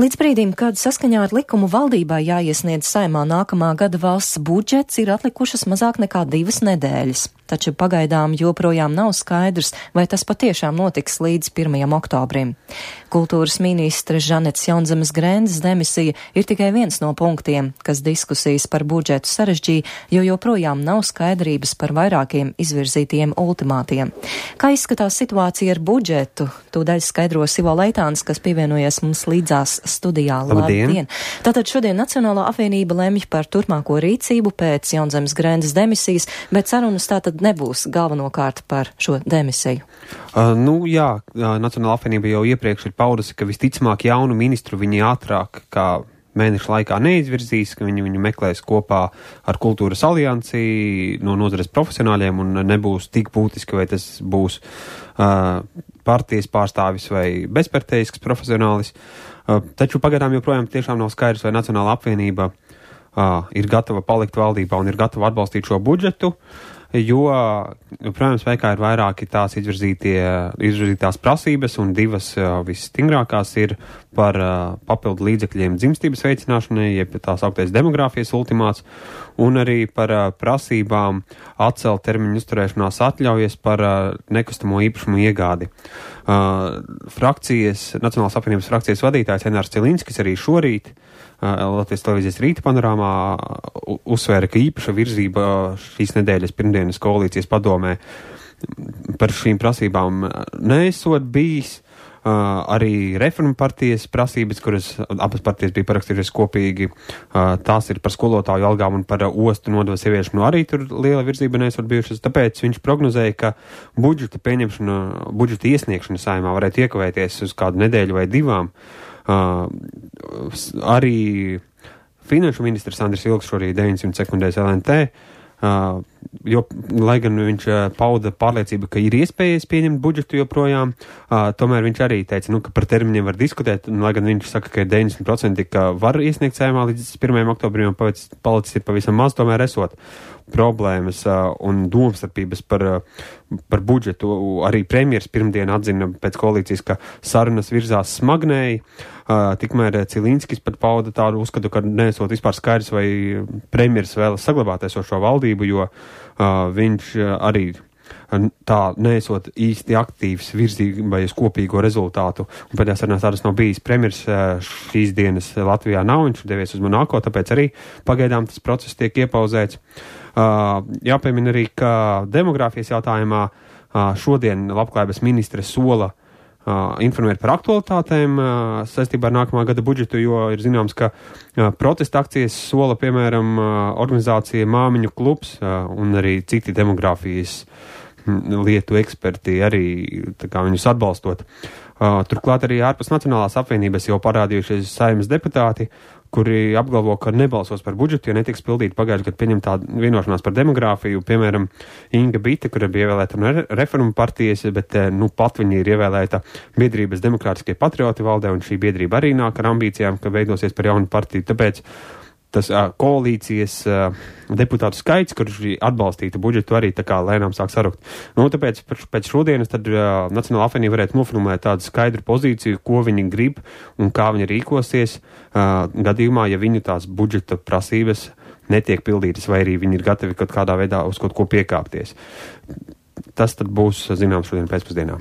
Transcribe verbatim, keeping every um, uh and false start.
Līdz brīdim, kad saskaņā ar likumu valdībā jāiesniedz Saeimā nākamā gada valsts budžets, ir atlikušas mazāk nekā divas nedēļas. Taču pagaidām joprojām nav skaidrs, vai tas patiešām notiks līdz pirmajam oktobrim. Kultūras ministre Žanetes Jaunzemes Grendes demisija ir tikai viens no punktiem, kas diskusijas par budžetu sarežģīja, jo joprojām nav skaidrības par vairākiem izvirzītiem ultimātiem. Kā izskatās situācija ar budžetu? Tūdaļ skaidros Ivo Leitāns, kas pievienojies mums līdzās studijā. Labdien! Labdien. Tātad šodien Nacionālā apvienība lemj par turpmāko rīcību pēc Jaunzemes Grendes demisijas, bet sarunas tātad nebūs galvenokārt par šo demisiju. Uh, nu jā, Nacionālā apvienība jau iepriekš ir paudusi, ka visticamāk jaunu ministru viņi ātrāk kā mēnešu laikā neizvirzīs, ka viņi viņu meklēs kopā ar Kultūras aliansi no nozares profesionāļiem un nebūs tik būtiski, vai tas būs uh, partijas pārstāvis vai bezpartejisks profesionālis. Uh, taču pagaidām joprojām tiešām nav skaidrs, vai Nacionālā apvienība uh, ir gatava palikt valdībā un ir gatava atbalstīt šo budžetu, jo, joprojām spēkā ir vairāki tās izvirzītās prasības, un divas uh, visstingrākās ir par uh, papildu līdzekļiem dzimstības veicināšanai, jeb tās augtais demogrāfijas ultimāts, un arī par uh, prasībām atcelt termiņu uzturēšanās atļaujas par uh, nekustamo īpašumu iegādi. Uh, frakcijas, Nacionālās apvienības frakcijas vadītājs Enārs Cilinskis arī šorīt Latvijas televīzijas rīta panorāmā uzsvēra, ka īpaša virzība šīs nedēļas pirmdienas koalīcijas padomē par šīm prasībām neesot bijis. Uh, arī reformu partijas prasības, kuras abas partijas bija parakstījušas kopīgi, uh, tās ir par skolotāju algām un par uh, ostu nodevu ieviešanu arī tur liela virzība neesot bijušas. Tāpēc viņš prognozēja, ka budžeta pieņemšana, budžeta iesniegšana Saeimā varētu iekavēties uz kādu nedēļu vai divām. Uh, arī finanšu ministrs Andris Ilgs šorīt deviņsimt sekundēs L N T, uh, jo, lai gan viņš uh, pauda pārliecību, ka ir iespējas pieņemt budžetu joprojām, uh, tomēr viņš arī teica, nu, ka par termiņiem var diskutēt, un lai gan viņš saka, ka ir deviņdesmit procenti, ka var iesniegt Saeimā līdz pirmajam oktobrim, un palicis ir pavisam maz, tomēr esot problēmas uh, un domstarpības par, uh, par budžetu. Arī premjers pirmdien atzina pēc koalīcijas, ka sarunas virzās smagnēji. Uh, tikmēr Cilinskis pat pauda tādu uzskatu, ka neesot vispār skaidrs, vai premjers vēlas saglabāt esošo valdību, jo uh, viņš uh, arī tā neesot īsti aktīvs virzībai uz kopīgo rezultātu. Un pēdējās sarunās tādas nav bijis. Premjers šīs dienas Latvijā nav, viņš devies uz Monako, tāpēc arī pagaidām tas process tiek iepauzēts. Uh, jāpiemina arī, ka demogrāfijas jautājumā uh, šodien Labklājības ministre sola uh, informēt par aktualitātēm uh, saistībā ar nākamā gada budžetu, jo ir zināms, ka uh, protesta akcijas sola, piemēram, uh, organizācija Māmiņu klubs uh, un arī citi demogrāfijas lietu eksperti arī tā kā viņus atbalstot. Uh, turklāt arī ārpus Nacionālās apvienības jau parādījušies Saeimas deputāti, kuri apgalvo, ka nebalsos par budžetu, jo netiks pildīt pagājušajā gadā pieņemtā vienošanās par demogrāfiju. Piemēram, Inga Bite, kura bija ievēlēta no reformu partijas, bet nu pat viņa ir ievēlēta biedrības Demokrātiskie patrioti valdē, un šī biedrība arī nāk ar ambīcijām, ka veidosies par jaunu partiju. Tāpēc tas uh, koalīcijas uh, deputātu skaits, kurš atbalstītu budžetu, arī tā kā lēnām sāk sarukt. Nu, tāpēc pēc šodienas tad uh, Nacionālā apvienība varētu noformulēt tādu skaidru pozīciju, ko viņi grib un kā viņi rīkosies uh, gadījumā, ja viņu tās budžeta prasības netiek pildītas, vai arī viņi ir gatavi kaut kādā veidā uz kaut ko piekāpties. Tas tad būs zināms šodien pēcpusdienā.